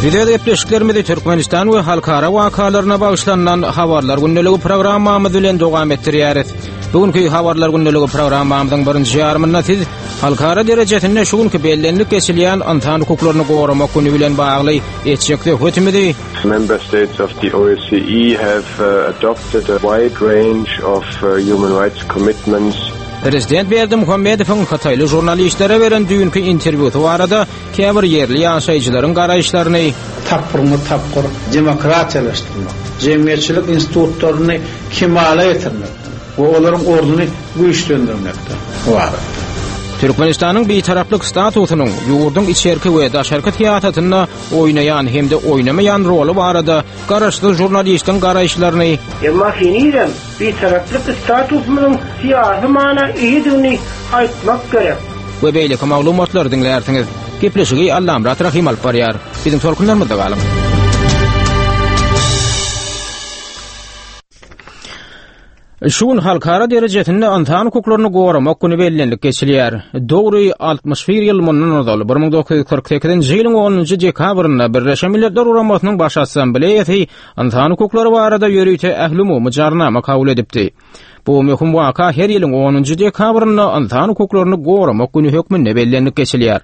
Biz öz gepleşiklerimizi Türkmenistan we halkara wakalaryna bagyşlanylan Habarlar gündeligi programmamyz bilen dowam etdirýäris. Bu günki Habarlar gündeligi programmamyzyň birinji ýarymynda siz halkara derejesinde şu günki bellenilip geçilýän ynsan hukuklaryny goramak güni bilen bagly etjek söhbetimizi Member states of the OSCE have adopted a wide range of human rights commitments. Prezident Berdimuhamedowyň hytaýly žurnalistlere beren düýnki interwýusy barada käbir ýerli ýaşaýjylaryň garaýyşlaryny, tapgyrma-tapgyr demokratiýalaşdyrmak, jemgyýetçilik institutlaryny kemala getirmekden we olaryň ornuny güýçlendirmekden ybaratdyr. Türkmenistanyň Bitaraplyk statusynyň ýurduň içerki we daşarky syýasatynda oýnaýan hem-de oýnamaýan roly barada garaşsyz žurnalistiň garaýyşlaryny, Emma henizem Bitaraplyk statusymyzyň syýasy mana eýedigini aýtmak gerek. We beýleki maglumatlary diňlärsiňiz. Gepleşigi Allamyrat Rahym alyp barýar. Biziň tolkunlarymyzda galyň. Şu gün halkara derejesinde ynsan hukuklaryny goramak güni bellenilip geçilýär. Dogry 61 ýyl mundan ozal, 1948-nji ýylyň 10-njy dekabrynda Birleşen Milletler Guramasynyň Baş Assambleýasy Ynsan hukuklary barada ýörite ählumumy jarnama kabul edipdi. Bu möhüm waka her ýylyň onunjy dekabrynda Ynsan hukuklaryny goramak güni hökmünde bellenilip geçilýär.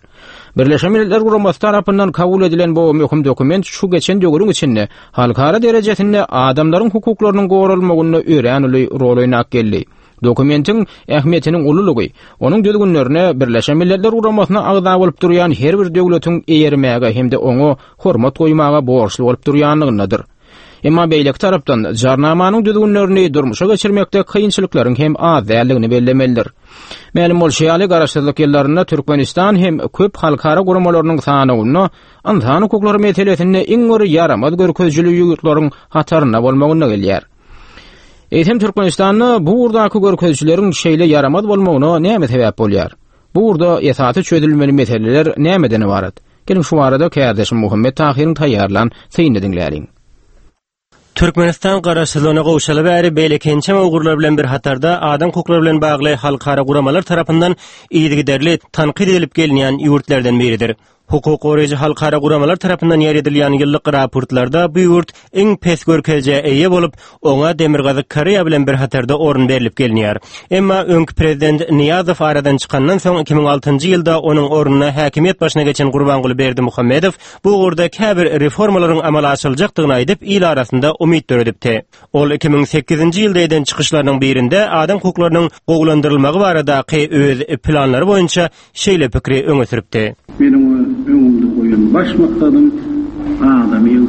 Birleşen Milletler Guramasy tarapyndan kabul edilen bu möhüm dokument şu geçen döwrüň içinde halkara derejesinde adamlaryň hukuklarynyň goralmagynda örän uly rol oýnap geldi. Dokumentiň ähmiýetiniň ululygy, onuň düzgünlerine Birleşen Milletler Guramasyna agza bolup durýan her bir döwletiň eýermäge hem-de oňa hormat goýmaga borçly bolup durýanlygyndadyr. Emma beýleki tarapdan, Jarnamanyň düzgünlerini durmuşa geçirmekde kynçylyklaryň hem az däldigini bellemelidir. Mälim bolşy ýaly, Garaşsyzlyk ýyllarynda Türkmenistan hem köp halkara guramalarynyň sanawynda ynsan hukuklary meselesinde iň bir ýaramaz görkezijili ýurtlaryň hatarynda bolmagynda gelýär. Eýsem Türkmenistanda bu ugurdaky görkezijileriň şeýle ýaramaz bolmagyna näme sebäp bolýar? Bu ugurda esasy çözülmeli meseleler nämeden ybarat? Geliň şu barada kärdeşim Muhammet Tahyryň taýýarlan synyny diňläliň. Türkmenistan garaşsyzlygyna gowşaly bäri beýleki ençeme ugurlar bilen bir hatarda adam hukuklary bilen bagly halkara guramalar tarapyndan yzygiderli tankyt edilip gelinýän ýurtlardan biridir. Hukuk goraýjy halkara guramalar tarapyndan ýaýradylýan ýyllyk raportlarda bu ýurt iň pes görkezijä eýe bolup, oňa Demirgazyk Koreýa bilen bir hatarda orun berlip gelinýär. Emma öňki prezident Nyýazow aradan çykandan soň 2006-njy ýylda onuň ornuna häkimiýet başyna geçen Gurbanguly Berdimuhamedow bu ugurda käbir reformalaryň amala aşyryljakdygyny aýdyp, il arasynda umyt döredipdi. Ol 2008-nji ýylda eden çykyşlarynyň birinde adam hukuklarynyň gowulandyrylmagy baradaky öz planlary boýunça şeýle pikiri öňe sürüpdi. Meniň öz öňümde goýan baş maksadym adamyň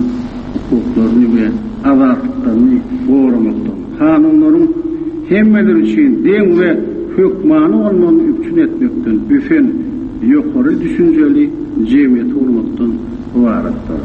hukuklaryny we azatlyklaryny goramakdan, kanunlaryň hemmeler üçin deň we hökmany bolmagyny üpjün etmekden ösen, ýokary düşünjeli jemgyýeti gurmakdan ybaratdyr.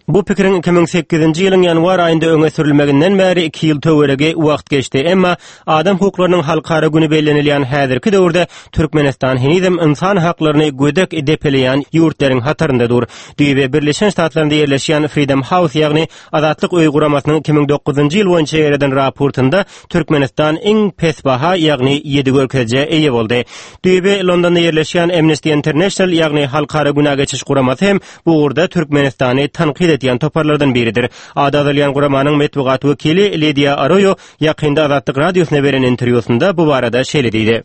Bu pikiriň 2008-nji ýylyň ýanwar aýynda öňe sürülmeginden bäri iki ýyl töweregi wagt geçdi. Emma Adam hukuklarynyň halkara güni bellenilýän häzirki döwürde Türkmenistan henizem ynsan haklaryny gödek depeleýän ýurtlaryň hatarynda dur. Düýbi Birleşen Ştatlarynda ýerleşýän Freedom House, ýagny Azatlyk öýi guramasynyň 2009-njy ýyl boýunça ýaýradan raportynda Türkmenistan iň pes baha, ýagny ýedi görkezijä eýe boldy. Düýbi Londonda ýerleşýän Amnesty International, ýagny Halkara günä geçiş guramasy hem bu ugurda Türkmenistany tankyt edýän toparlardan biridir. Ady agzalýan guramanyň metbugat wekili Lidiýa Aroýo Ýakynda Azatlyk Radiosyna beren interwýusynda bu barada şeýle diýdi.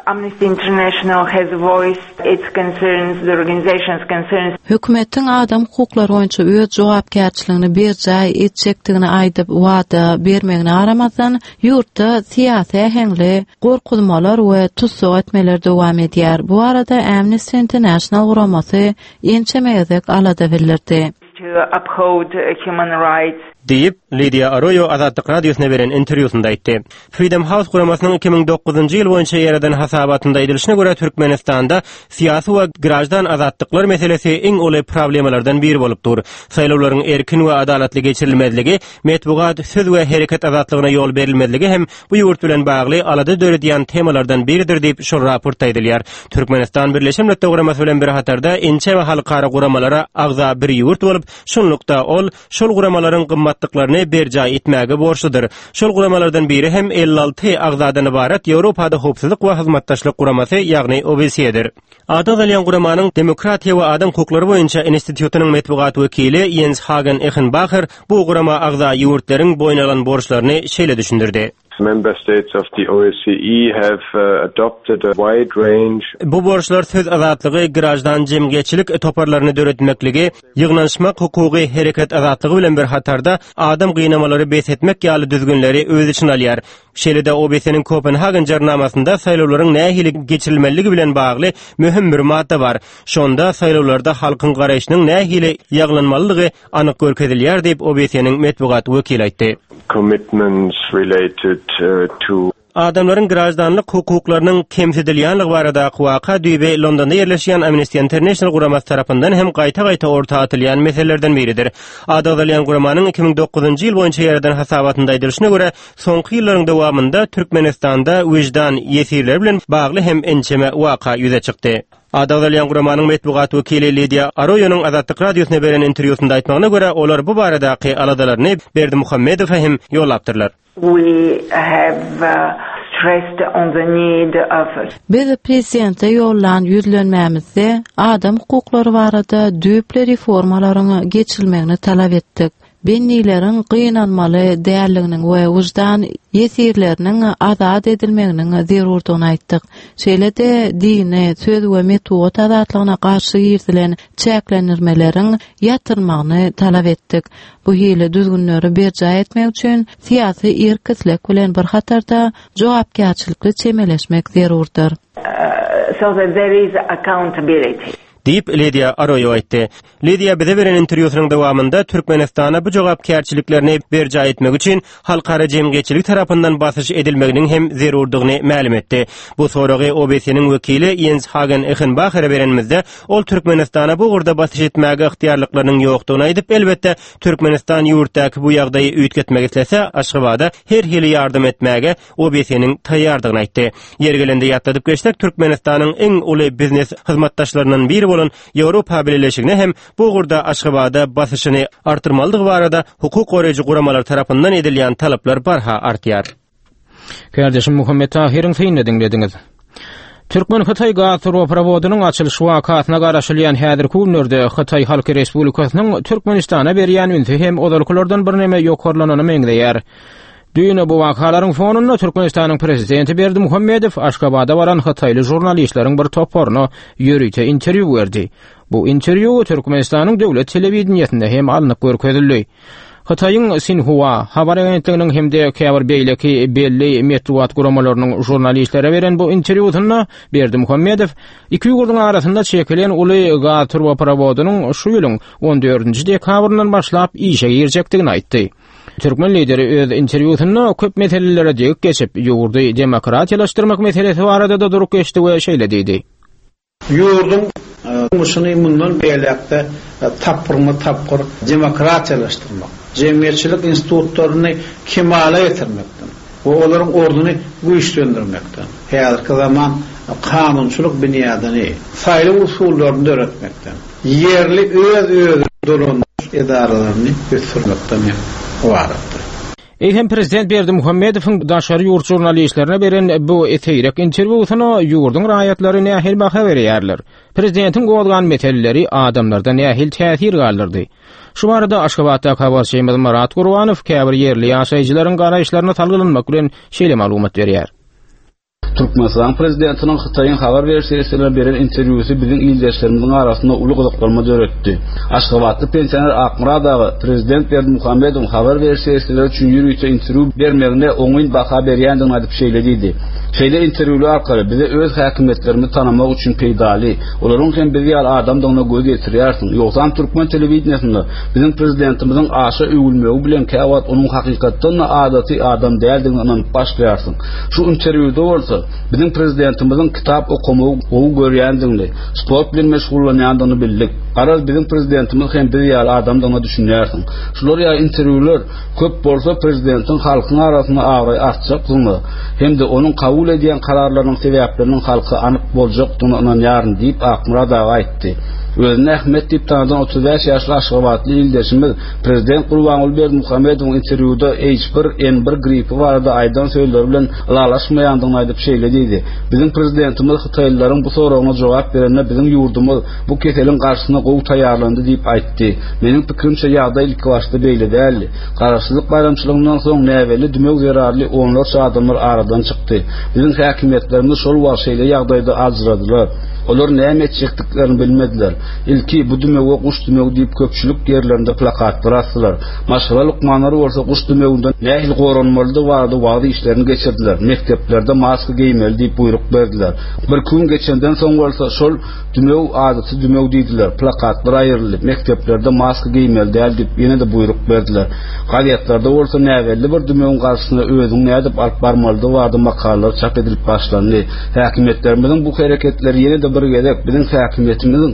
Amnesty International has voiced its concerns, the organization's concerns. Hökümetiň adam hukuklary boýunça öz jogapkärçiligini berjaý etjekdigini aýdyp wada bermegine garamazdan, ýurtda syýasy äheňli gorkuzmalar we tussag etmeler dowam edýär. Bu barada Amnesty International guramasy ençeme gezek alada bildirdi. to uphold human rights. Diýip, Lidiýa Aroýo Azatlyk Radiosyna beren interwýusynda aýtdy. Freedom House guramasynyň 2009-njy ýyl boýunça ýaýradan hasabatynda aýdylyşyna görä, Türkmenistanda syýasy we graždan azatlyklar meselesi iň uly problemalardan biri bolup dur. Saýlawlaryň erkin we adalatly geçirilmezligi, metbugat, söz we hereket azatlygyna ýol berilmezligi hem bu ýurt bilen bagly alada döredýän temalardan biridir diýip, şol raportda aýdylýar. Türkmenistan Birleşen Milletler Guramasy bilen bir hatarda ençeme halkara guramalara agza bir ýurt bolup, şunlukda ol şol guramalaryň gymmat. gymmatlyklaryny berjaý etmäge borçludyr. Şol guramalardan biri hem 56 agzadan ybarat Ýewropada Howpsuzlyk we Hyzmatdaşlyk Guramasy, ýagny OBSE-dir. Ady agzalýan guramanyň Demokratiýa we adam hukuklary boýunça institutynyň metbugat wekili Ýens Hagen Ehenbaher bu gurama agza ýurtlaryň boýun alan borçlaryny şeýle düşündirdi. Member states of the OSCE have adopted a wide range. Bu borçlar söz azatlygy, graždan jemgyýetçilik toparlaryny döretmekligi, ýygnanyşmak hukugy, hereket azatlygy bilen bir hatarda adam gynamalary bes etmek ýaly düzgünleri öz içine alýar. Şeýle-de OBSE-niň Kopenhagen Jarnamasynda saýlawlaryň nähili geçirilmelidigi bilen bagly möhüm bir madda bar. Şonda saýlawlarda halkyň garaýşynyň nähili ýaglanmalydygy anyk görkezilýär diýip, OBSE-niň metbugat wekili aýtdy. Commitments related to. Adamlaryň graždanlyk hukuklarynyň kemsidilýänligi baradaky waka düýbi Londonda ýerleşýän Amnesty International guramasy tarapyndan hem gaýta-gaýta orta atylýan meselelerden biridir. Ady agzalýan guramanyň 2009-njy ýyl boýunça ýaradan hasabatynda aýdylyşyna görä, soňky ýyllaryň dowamynda Türkmenistanda wyždan ýesirleri bilen bagly hem ençeme waka ýüze çykdy. Ady agzalýan guramanyň metbugat wekili Lidiýa Aroýonyň Azatlyk Radiosyna beren interwýusynda aýtmagyna görä, olar bu baradaky aladalaryny Berdimuhamedowa hem ýollapdyrlar. We have stressed on the need of. Biz prezidente ýollan ýüzlenmämizde adam hukuklary barada düýpli reformalaryň geçirilmegini talap etdik. Bendileriň gynanmaly däldiginiň we wyždan ýesirleriniň azat edilmeginiň zerurdygyny aýtdyk. Şeýle-de dini, söz we metbugat azatlygyna garşy girizilen çäklendirmeleriň ýatyrylmagyny talap etdik. Bu hili düzgünleri berjaý etmek üçin syýasy erk-isleg bilen bir hatarda jogapkärçilikli çemeleşmek zerurdyr. So that there is accountability. Diýip, Lidiýa Aroýo aýtdy. Lidiýa bize beren interwýusynyň dowamynda Türkmenistana bu jogapkärçiliklerini berjaý etmek üçin halkara jemgyýetçiligi tarapyndan basyş edilmeginiň hem zerurdygyny mälim etdi. Bu soragy OBSE-niň wekili Ýens Hagen Ehenbahere berenimizde, ol Türkmenistana bu ugurda basyş etmäge ygtyýarlyklarynyň ýokdugyny aýdyp, elbetde, Türkmenistan ýurtdaky bu ýagdaýy üýtgetmek islese, Aşgabada her hili ýardam etmäge OBSE-niň taýýardygyny aýtdy. Ýeri gelende ýatladyp geçsek, Türkmenistanyň iň uly biznes hyzmatdaşlaryndan biri bolan Ýewropa Bileleşigine hem bu ugurda Aşgabada basyşyny artdyrmalydygy barada hukuk goraýjy guramalar tarapyndan edilýän talaplar barha artýar. Kärdeşim Muhammet Tahyryň synyny diňlediňiz. Türkmen-Hytaý gaz turbaprowodynyň açylyş wakasyna garaşylýan häzirki günlerde Hytaý Halk Respublikasynyň Türkmenistana berýän ünsi hem ozalkylardan birneme ýokarlanana meňzeýär. Düýn bu wakalaryň fonunda Türkmenistanyň prezidenti Berdimuhamedow Aşgabada baran hytaýly žurnalistleriň bir toparyna ýörite interwýu berdi. Bu interwýu Türkmenistanyň döwlet telewideniýesinde hem alnyp görkezildi. Hytaýyň Sinhua habar agentliginiň hem-de käbir beýleki belli metbugat guramalarynyň žurnalistlere beren bu interwýusynda Berdimuhamedow iki ýurduň arasynda çekilen uly gaz turbaprowodynyň şu ýylyň on dördünji dekabryndan başlap işe girjekdigini aýtdy. Türkmen lideri öz interwýusynda köp meselelere degip geçip, ýurdy demokratiýalaşdyrmak meselesi barada-da durup geçdi we şeýle diýdi. Ýurduň durmuşyny mundan beýläk-de tapgyrma-tapgyr demokratiýalaşdyrmak, jemgyýetçilik institutlaryny kemala getirmekden we olaryň ornuny güýçlendirmekden, häzirki zaman kanunçylyk binýadyny, saýlaw usullaryny döretmekden, ýerli öz-özüni dolandyryş edaralaryny ösdürmekden hem ybaratdyr. Eýsem prezident Berdimuhamedowyň daşary ýurt žurnalistlerine beren bu seýrek interwýusyna ýurduň raýatlary nähili baha berýärler? Prezidentiň gozgan meseleleri adamlarda nähili täsir galdyrdy? Şu barada Aşgabatdaky habarçymyz Myrat Gurbanow käbir ýerli ýaşaýjylaryň garaýyşlaryna salgylanmak bilen şeýle maglumat berýär. Türkmenistanyň Prezidentiniň Hytaýyň habar beriş serişdelerine beren interwýusy biziň ildeşlerimiziň arasynda uly gyzyklanma döretdi. Aşgabatly pensioner Akmyrat aga Prezident Berdimuhamedowyň habar beriş serişdeleri üçin ýörite interwýu bermegine oňyn baha berýändigini aýdyp şeýle diýdi, Şeýle interwýular arkaly bize öz häkimiýetlerimizi tanamak üçin peýdaly. Olaryň hem biz ýaly adamdygyna göz ýetirýärsiň. Ýogsam türkmen telewideniýesinde biziň prezidentimiziň aşa öwülmegi bilen käwagt onuň hakykatdan-da adaty adam däldigine ynanyp başlaýarsyň. Şu interwýuda bolsa, biziň prezidentimiziň kitap okamagy gowy görýändigini, sport bilen meşgullanýandygyny bildik. Garaz, biziň prezidentimiz hem biz ýaly adamdygyna düşünýärsiň. Şular ýaly interwýular köp bolsa, prezidentiň halkyň arasynda abraýy artjakdygyna hem-de onuň kabul edýän kararlarynyň sebäpleriniň halka anyk boljakdygyna ynanýaryn diýip, Akmyrat aga aýtdy. Özüni Ahmet diýip tanadan 35 ýaşly aşgabatly ildeşimiz prezident Gurbanguly Berdimuhamedowyň interwýuda H1N1 gripi barada aýdan sözleri bilen ylalaşmaýandygyny aýdyp şeýle diýdi, Biziň prezidentimiz hytaýlylaryň bu soragyna jogap berende biziň ýurdumyz bu keseliň garşysyna gowy taýýarlandy diýip aýtdy. Meniň pikirimçe ýagdaý ilkibaşda beýle däldi. Garaşsyzlyk baýramçylygyndan soň näbelli dümew zerarly onlarça adamlar aradan çykdy. Biziň häkimiýetlerimiz şol wagt şeýle ýagdaýda aljyradylar. Olar näme etjekdiklerini bilmediler. Ilki bu dümewe guş dümewi diýip köpçülik ýerlerinde plakatlar asdylar. Maşgala lukmanlary bolsa guş dümewinden nähili goranmalydygy barada wagyz işlerini geçirdiler. Mekdeplerde maska geýmeli diýip buýruk berdiler. Birki gün geçenden soň bolsa şol Dümew adaty dümew diýdiler, plakatlar aýryldy, mekdeplerde maska geýmeli däl diýip ýene-de buýruk berdiler. Gazetlerde bolsa näbelli bir dümewiň garşysyna özüňi nädip alyp barmalydygy barada makalalar çap edilip başlandy. Häkimiýetlerimiziň bu hereketleri ýene-de bir gezek biziň häkimiýetimiziň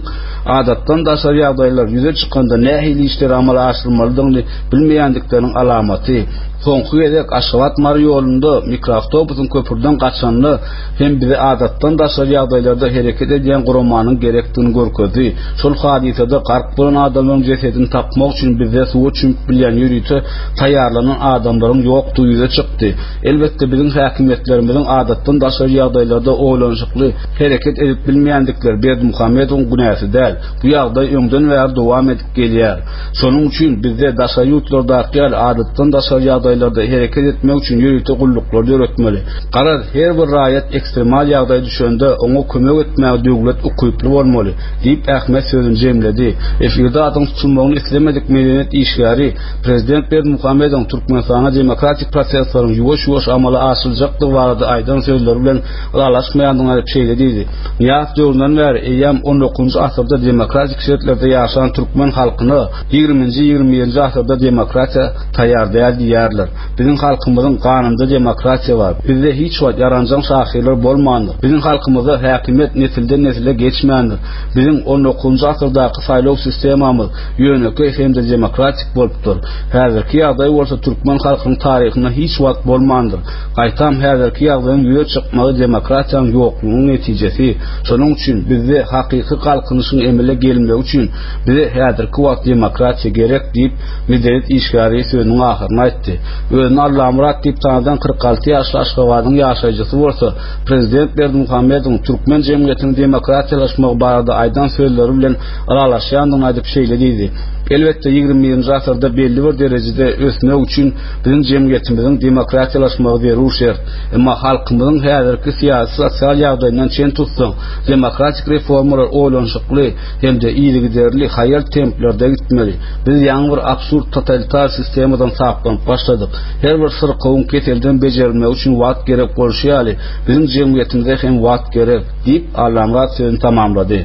adatdan daşary ýagdaýlar ýüze çykanda nähili işleri amala aşyrmalydygyny bilmeýändikleriniň alamaty. Soňky gezek Aşgabat-Mary ýolunda mikroawtobusyň köprüden gaçanyny hem bize adatdan daşary ýagdaýlarda hereket edýän guramanyň gerekdigini görkezdi. Şol hadysada gark bolan adamlaryň jesedini tapmak üçin bizde suwa çümüp bilýän ýörite taýýarlanan adamlaryň ýokdugy ýüze çykdy. Elbetde biziň häkimiýetlerimiziň adatdan daşary ýagdaýlarda oýlanyşykly hereket edip bilmeýändikleri Berdimuhamedowyň günäsi däl. Bu ýagdaý öňden bäri dowam edip gelýär. Şonuň üçin bizde daşary ýurtlardaky ýaly adatdan daşary ýagdaýlarda hereket etmek üçin ýörite gulluklary döretmeli. Garaz, her bir raýat ekstremal ýagdaý düşende, oňa kömek etmäge döwlet ukyply bolmaly, diýip, Ahmet sözüni jemledi. Efirde adynyň tutulmagyny islemedik medeniýet işgäri prezident Berdimuhamedowyň Türkmenistanda demokratik prosesleriň ýuwaş-ýuwaş amala aşyryljakdygy barada aýdan sözleri bilen ylalaşmaýandygyny aýdyp şeýle diýdi, Nyýazow döwründen bäri eýýäm on dokuzynjy asyrda demokratik şertlerde ýaşan türkmen halkyna ýigriminji, 21-nji asyrda demokratiýa taýýar däl diýýärler. Biziň halkymyzyň ganynda demokratiýa bar. Bizde hiç wagt ýaranjaň şahyrlar bolmandyr. Biziň halkymyzda häkimiýet nesilden-nesile geçmändir. Biziň on dokuzynjy asyrdaky saýlaw sistemamyz ýönekeý hem-de demokratik bolupdyr. Häzirki ýagdaý bolsa türkmen halkynyň taryhynda hiç wagt bolmandyr. Gaýtam häzirki ýagdaýyň ýüze çykmagy demokratiýanyň ýoklugynyň netijesi. Şonuň üçin bizde hakyky galkynyşyň emele gelmegi üçin bize häzirki wagt demokratiýa gerek diýip, medeniýet işgäri sözüniň ahyryny aýtdy. Özüni Allamyrat diýip tanadan 46 ýaşly Aşgabadyň ýaşaýjysy bolsa, prezident Berdimuhamedowyň türkmen jemgyýetiniň demokratiýalaşmagy barada aýdan sözleri bilen ylalaşýandygyny aýdyp şeýle diýdi, Elbetde, 21-nji asyrda belli bir derejede ösmek üçin biziň jemgyýetimiziň demokratiýalaşmagy zerur şert. Emma halkymyzyň häzirki syýasy-sosial ýagdaýyndan çen tutsaň, demokratik reformalar oýlanyşykly hem-de yzygiderli, haýal templerde gitmeli. Biz ýaňy bir absurd totalitar sistemadan saplanyp başladyk. Her bir syrkawyň keselden bejerilmegi üçin wagt gerek bolşy ýaly, biziň jemgyýetimize hem wagt gerek, diýip, Allamyrat sözüni tamamlady.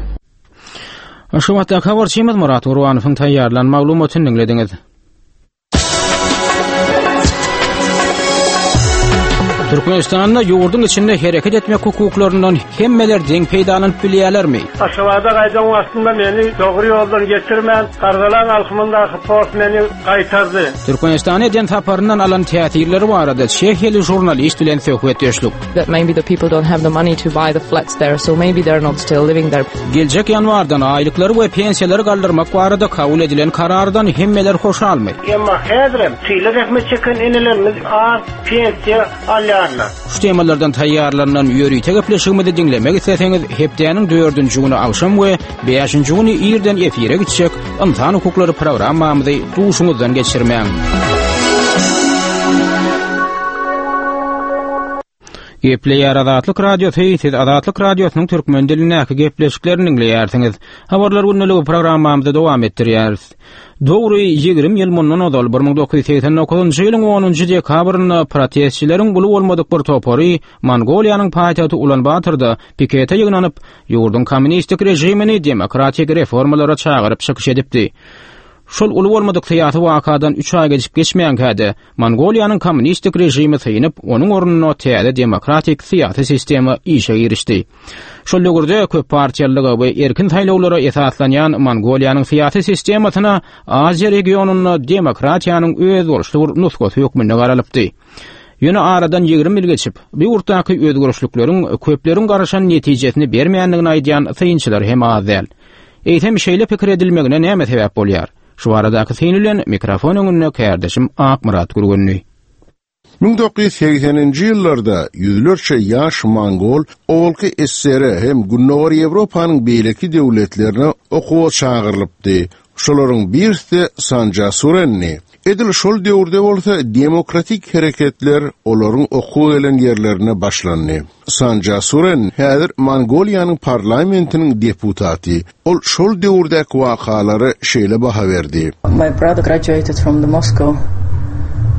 Aşgabatdaky habarçymyz Myrat Gurbanowyň taýýarlan maglumatyny diňlediňiz. Türkmenistanda ýurduň içinde hereket etmek hukuklaryndan hemmeler deň peýdalanyp bilýärlermi? Aşgabada gaýdan wagtymda meni dogry ýoldan geçirmän, Gardalan alkymyndaky post meni gaýtardy. Türkmenistana eden saparyndan alan täsirleri barada çehiýaly žurnalist bilen söhbetdeşlik. That maybe the people don't have the money to buy the flats there, so maybe they're not still living there. Geljek ýanwardan aýlyklary we pensiýalary galdyrmak barada kabul edilen karardan hemmeler hoşalmy? Emma häzirem tylla zähmet çeken enelerimiz az pensiýa alýarlar. Şu temalardan taýýarlanylan ýörite gepleşigimizi diňlemek isleseňiz, hepdäniň dördünji güni agşam we bäşinji güni irden efire gitjek Ynsan hukuklary programmamyzy duşuňyzdan geçirmäň. Gepleýär Azatlyk Radiosy, siz Azatlyk Radiosynyň türkmen dilindäki gepleşiklerini diňleýärsiňiz. Habarlar gündeligi programmamyzy dowam etdirýäris. Dogry 20 ýyl mundan ozal 1989-njy ýylyň 10-njy dekabrynda protestçileriň uly bolmadyk bir topary Mongoliýanyň paýtagty Ulanbatorda pikete ýygnanyp, ýurduň kommunistik režimini demokratik reformalara çagyryp çykyş edipdi. Şol uly bolmadyk syýasy wakadan üç aý geçip geçmänkä-de, Mongoliýanyň kommunistik režimi synyp, onuň ornuna täze demokratik syýasy sistema işe girişdi. Şol döwürde köppartiýalylyga we erkin saýlawlara esaslanýan Mongoliýanyň syýasy sistemasyna Aziýa regionynda demokratiýanyň özboluşly bir nusgasy hökmünde garalypdy. Ýöne aradan 20 ýyl geçip, bu ýurtdaky özgerişlikleriň köpleriň garaşan netijesini bermändigini aýdýan synçylar hem az däl. Eýsem şeýle pikir edilmegine näme sebäp bolýar? Şu baradaky syn bilen mikrofon öňünde kärdeşim Akmyrat Gürgenli. 1980-nji ýyllarda ýüzlerçe ýaş mongol owalky SSR hem Gündogar Ýewropanyň beýleki döwletlerine okuwa çagyrylypdy. Şolaryň birisi-de Sanja Surendi. Edil şol döwürde bolsa demokratik hereketler olaryň okuwa gelen ýerlerinde başlandy. Sanja Suren häzir Mongoliýanyň parlamentiniň deputaty. Ol şol döwürdäki wakalara şeýle baha berdi. My brother graduated from the Moscow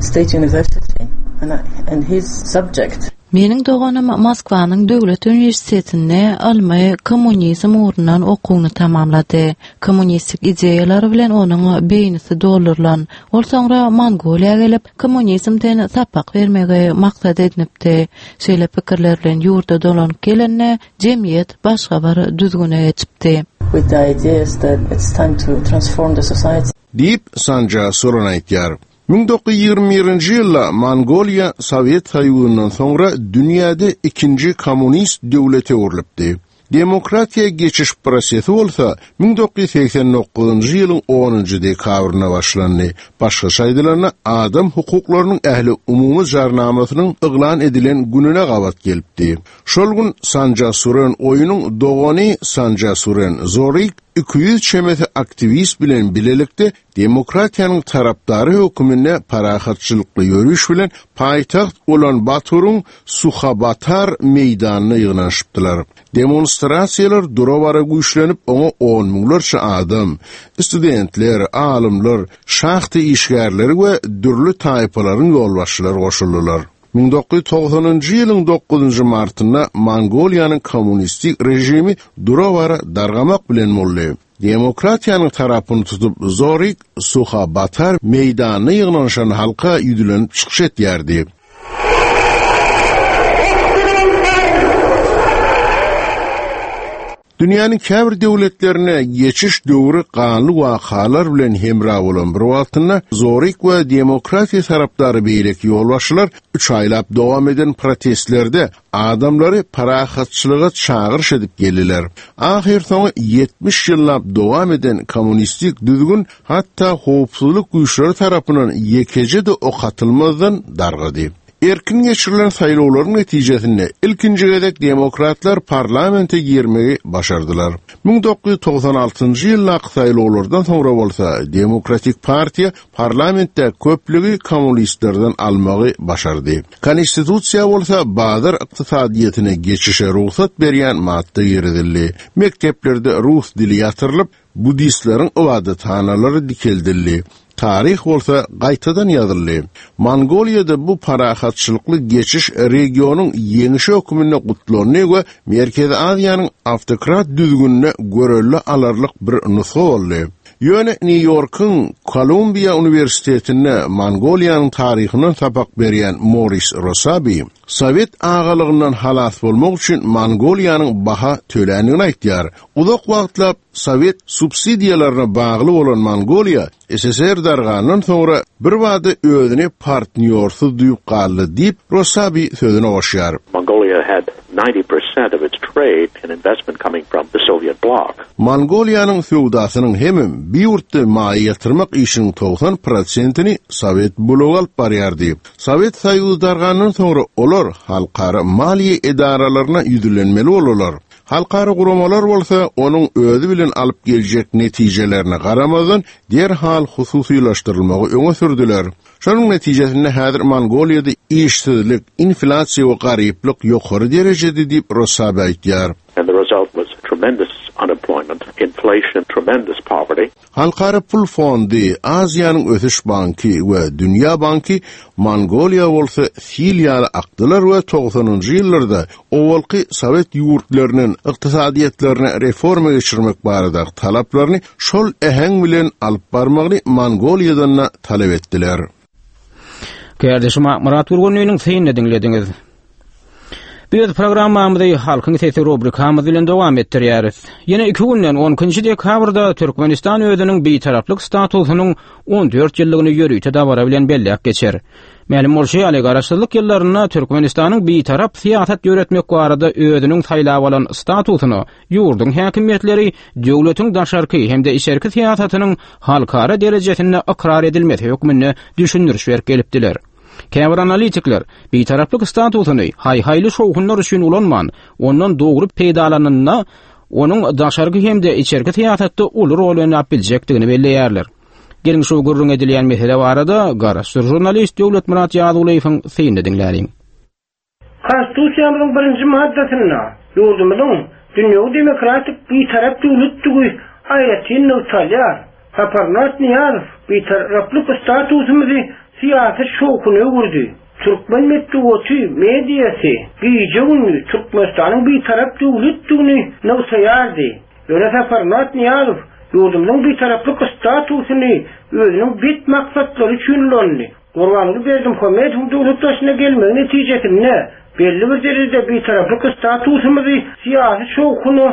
State University and, and his subject Meniň doganym Moskwanyň döwlet uniwersitetinde ylmy kommunizm ugrundan okuwyny tamamlady. Kommunistik ideýalar bilen onuň beýnisi doldurylan. Ol soňra Mongoliýa gelip, kommunizmden sapak bermegi maksat edinipdi. Şeýle pikirler bilen ýurda dolanyp gelende, jemgyýet başga bir düzgüne geçipdi. With the ideas that it's time to transform the society. Diýip, Sanja Suran aýdýar. 1921-nji ýylda Mongoliýa Sowet Soýuzyndan soňra dünýäde ikinji kommunist döwlete öwrülipdi. Demokratiýa geçiş prosesi bolsa 1989-njy ýylyň onunjy dekabrynda başlandy. Başgaça aýdylanda, adam hukuklarynyň ähliumumy jarnamasynyň yglan edilen gününe gabat gelipdi. Şol gün Sanja Suren Oýunyň dogany Sanja Suren Zorik 200 çemesi aktiwist bilen bilelikde demokratiýanyň tarapdary höküminde parahatçylykly ýöriş bilen paýtagt Ulan-Baturyň Suhabatar meýdanyna ýygnanyşypdylar. Demonstrasiýalar dura-bara güýçlenip, oňa on müňlerçe adam, studentler, alymlar, şahta işgärleri we dürli taýpalaryň ýolbaşçylary goşuldylar. 1990-njy ýylyň dokuzynjy martynda Mongoliýanyň kommunistik režimi dura-bara dargamak bilen boldy. Demokratiýanyň tarapyny tutup Zorik Suhabatar meýdanyna ýygnanyşan halka ýüzlenip çykyş etýärdi. Dünýäniň käbir döwletlerinde geçiş döwri ganly wakalar bilen hemra bolan bir wagtynda Zorik we demokratiýa tarapdary beýleki ýolbaşçylar üç aýlap dowam eden protestlerde adamlary parahatçylyga çagyryş edip geldiler. Ahyrsoňy 70 ýyllap dowam eden kommunistik düzgün hatda howpsuzlyk güýçleri tarapyndan ýekeje-de ok atylmazdan dargady. Erkin geçirilen saýlawlaryň netijesinde ilkinji gezek demokratlar parlamente girmegi başardylar. 1996-njy ýyldaky saýlawlardan soňra bolsa Demokratik partiýa parlamentde köplügi kommunistlerden almagy başardy. Konstitusiýa bolsa bazar ykdysadyýetine geçişe rugsat berýän madda girizildi. Mekdeplerde rus dili ýatyrylyp, buddistleriň ybadathanalary dikeldildi. Taryh bolsa gaýtadan ýazyldy. Mongoliýada bu parahatçylykly geçiş regionyň ýeňşi hökmünde gutlandy we Merkezi Aziýanyň awtokrat düzgünine görelde alarlyk bir nusga boldy. Ýöne Nýu-Ýorkuň Kolumbiýa uniwersitetinde Mongoliýanyň taryhyndan sapak berýän Moris Rosabi sowet agalygyndan halas bolmak üçin Mongoliýanyň baha töländigini aýtýar. Uzak wagtlap sowet subsidiýalaryna bagly bolan Mongoliýa SSR dargandan soňra birbada özüni partnýorsyz duýup galdy diýip, Rosabi sözüne goşýar. Mongolia had 90% of its trade and investment coming from the Soviet bloc. Mongoliýanyň söwdasynyň hemem bi ýurtda maýa ýatyrmak işiniň 90 prosentini Sowet blogy alyp barýardy. Sowet Soýuzy dargandan soňra olar halkara maliýe edaralaryna ýüzlenmeli boldular. Halkara guramalar bolsa onuň özi bilen alyp geljek netijelerine garamazdan derhal hususylaşdyrylmagy öňe sürdüler. Şonuň netijesinde häzir Mongoliýada işsizlik, inflýasiýa we garyplyk ýokary derejede diýip Rosabi aýtýar. And the result was tremendous unemployment, inflation, tremendous poverty. Halkara pul fondy, Aziýanyň ösüş banky we Dünýä banky Mongoliýa bolsa sil ýaly akdylar we togsanynjy ýyllarda owalky sowet ýurtlarynyň ykdysadyýetlerine reforma geçirmek baradaky talaplaryny şol äheň bilen alyp barmagyny Mongoliýadan-da talap etdiler. Kärdeşim Akmyrat Gürgenliniň synyny diňlediňiz. Biz programmamyzy Halkyň sesi rubrikamyz bilen dowam etdirýäris. Ýene iki günden 12 dekabrda Türkmenistan özüniň bitaraplyk statusynyň 14 ýyllygyny ýörite dabara bilen belläp geçer. Mälim bolşy ýaly, Garaşsyzlyk ýyllarynda Türkmenistanyň Bitarap syýasat ýöretmek barada özüniň saýlap alan statusyna ýurduň häkimiýetleri döwletiň daşarky hem-de içerki syýasatynyň halkara derejesinde ykrar edilmesi hökmünde düşündiriş berip gelipdiler. Käbir analitikler Bitaraplyk statusyny haý-haýly şowhunlar üçin ulanman, ondan dogry peýdalananda onuň daşarky hem-de içerki syýasatda uly rol oýnap biljekdigini belleýärler. Geliň şu gürrüň edilýän mesele barada garaşsyz žurnalist Döwletmyrat Ýazgulyýewiň synyny diňläliň. Konstitusiýamyzyň birinji maddasynda ýurdumyzyň dünýewi demokratik Bitarap döwletdigi aýratyn nygtalýar. Saparmyrat Nyýazow Bitaraplyk statusymyzy syýasy şowhuna öwürdi. Türkmen metbugaty, mediasy gije-gündiz Türkmenistanyň Bitarap döwletdigini nygtaýardy. Ýöne Saparmyrat Nyýazow ýurdumyzyň bitaraplyk statusyny özüniň bet maksatlary üçin ulandy. Gurbanguly Berdimuhamedowyň döwlet başyna gelmegi netijesinde belli bir derejede bitaraplyk statusymyzy syýasy şowhuna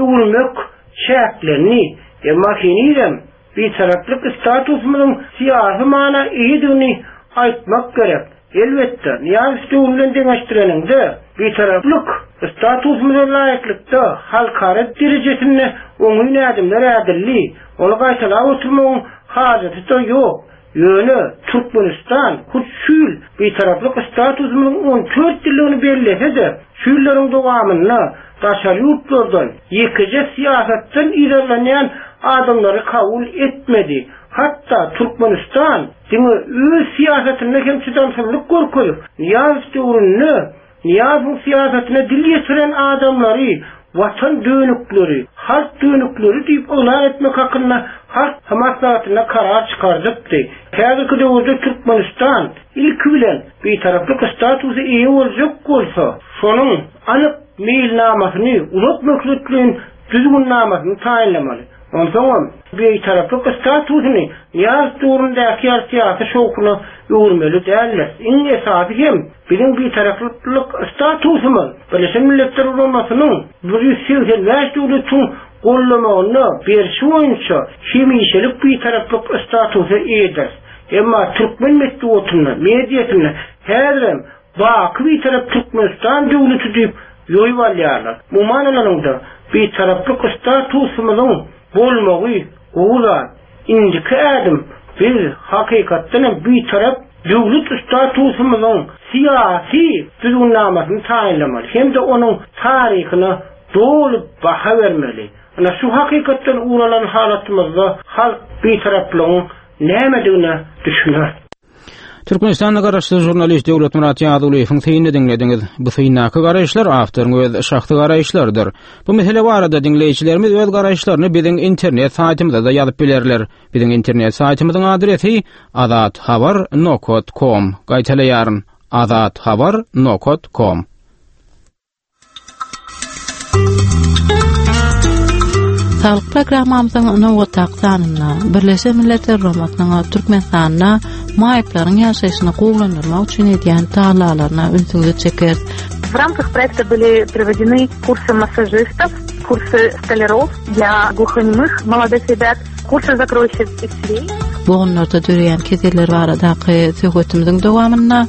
öwürmek çäklendi. Emma henizem Bitaraplyk statusymyzyň syýasy mana eýedigini aýtmak gerek. Elbetde, Nyýazow döwri bilen deňeşdireniňde, Bitaraplyk statusymyza laýyklykda halkara derejesinde oňyn ädimler ädildi. Ony gaýtalap oturmagyň hajaty-da ýok. Ýöne Türkmenistan hut şu ýyl Bitaraplyk statusymyzyň 14 ýyllygyny bellese-de, şu ýyllaryň dowamynda daşary ýurtlardan ýekeje syýasatdan yzarlanýan adamlary kabul etmedi. Hatda Türkmenistan diňe öz syýasatynda hem çydamsyzlyk görkezip, Nyýazow döwründe Nyýazowyň syýasatyna dil ýetiren adamlary watan dönükleri, halk dönükleri diýip yglan etmek hakynda Halk Maslahatynda karar çykardypdy. Häzirki döwürde Türkmenistan, ilki bilen, Bitaraplyk statusa eýe boljak bolsa, şonuň anyk meýilnamasyny, uzak möhletleýin düzgünnamasyny taýynlamaly. Onsoňam, Bitaraplyk statusyny Nyýazow döwründäki ýaly syýasy şowhuna öwürmeli däldir. Iň esasy hem, Biziň Bitaraplyk statusymyz Birleşen Milletler Guramasynyň 185 döwletiň gollamagynda berşi boýunça hemişelik Bitaraplyk statusa eýedir. Emma türkmen metbugatynda, mediasynda häzirem Baky Bitarap Türkmenistan döwleti diýip ýoýup alýarlar. Umuman alanyňda, Bitaraplyk statusymyzyň bolmagy gowy zat. Indiki ädim biz hakykatdan hem Bitarap döwlet statusymyzyň syýasy düzgünnamasyny taýynlamaly hem-de onuň taryhyna doly baha bermeli. Ynha şu hakykatdan ugur alan halatymyzda halk Bitaraplygyň nämedigine düşüner. Türkmenistanda garaşsyz žurnalist Döwletmyrat Ýazgulyýewiň synyny diňlediňiz. Bu syndaky garaýyşlar awtoryň öz şahsy garaýyşlarydyr. Bu mesele barada diňleýjilerimiz öz garaýyşlaryny biziň internet saýtymyzda-da ýazyp bilerler. Biziň internet saýtymyzyň adresi azathabar nokat kom. Gaýtalaýaryn, azathabar nokat kom. Saglyk programmamyzyň nobatdaky sanynda Birleşen Milletler Guramasynyň Türkmenistanda maýyplaryň ýaşaýşyny gowulandyrmak üçin edýän tagallalaryna ünsüňizi çekeris. В рамках проекта были проведены курсы массажистов, курсы столяров для глухонемых молодых ребят, kursa zakroýşik isleý. Bogunlarda döreýän keseller baradaky söhbetimiziň dowamynda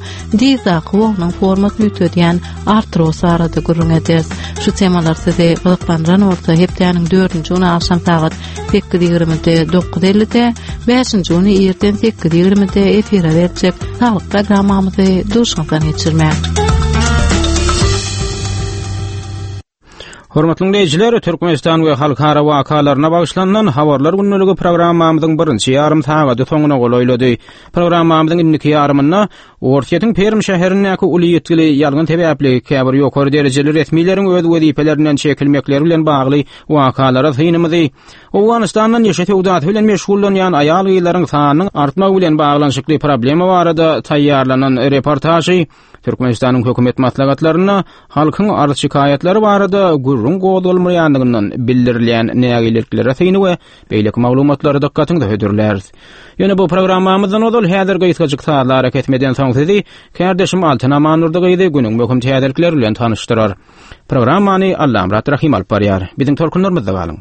dyzdaky bognuň formasyny üýtgedýän artroz barada gürrüň ederis. Şu temalar sizi gyzyklandyran bolsa, hepdäniň dördünji güni agşam sagat 8:20-de, 9:50-de, bäşinji güni irden 8:20-de efire berjek saglyk programmamyzy duşuňyzdan geçirmäň. Hormatly diňleýjiler, Türkmenistan we halkara wakalaryna bagyşlanylan Habarlar gündeligi programmamyzyň birinji ýarym sagady soňuna golaýlady. Programmamyzyň indiki ýarymynda Orsýetiň Perm şäherindäki uly ýitgili ýangyn sebäpli käbir ýokary derejeli resmileriň öz wezipelerinden çekilmekleri bilen bagly wakalara synymyzy, Owganystanda neşe söwdasy bilen meşgullanýan aýal-gyzlaryň sanynyň artmagy bilen baglanyşykly problema barada taýýarlanan reportažy, Türkmenistanyň hökümet maslahatlarynda halkyň arz-şikaýatlary barada gürrüň gozgalmaýandygyndan bildirilýän nägileliklere syny we beýleki maglumatlary dykgatyňyza hödürläris. Ýöne bu programmamyzdan ozal häzir gysgajyk sazly arakesmeden soň sizi kärdeşim Altyn Amandurdy gyzy günüň möhüm täzelikleri bilen tanyşdyrar. Programmany Allamyrat Rahym alyp barýar. Biziň tolkunlarymyzda galyň.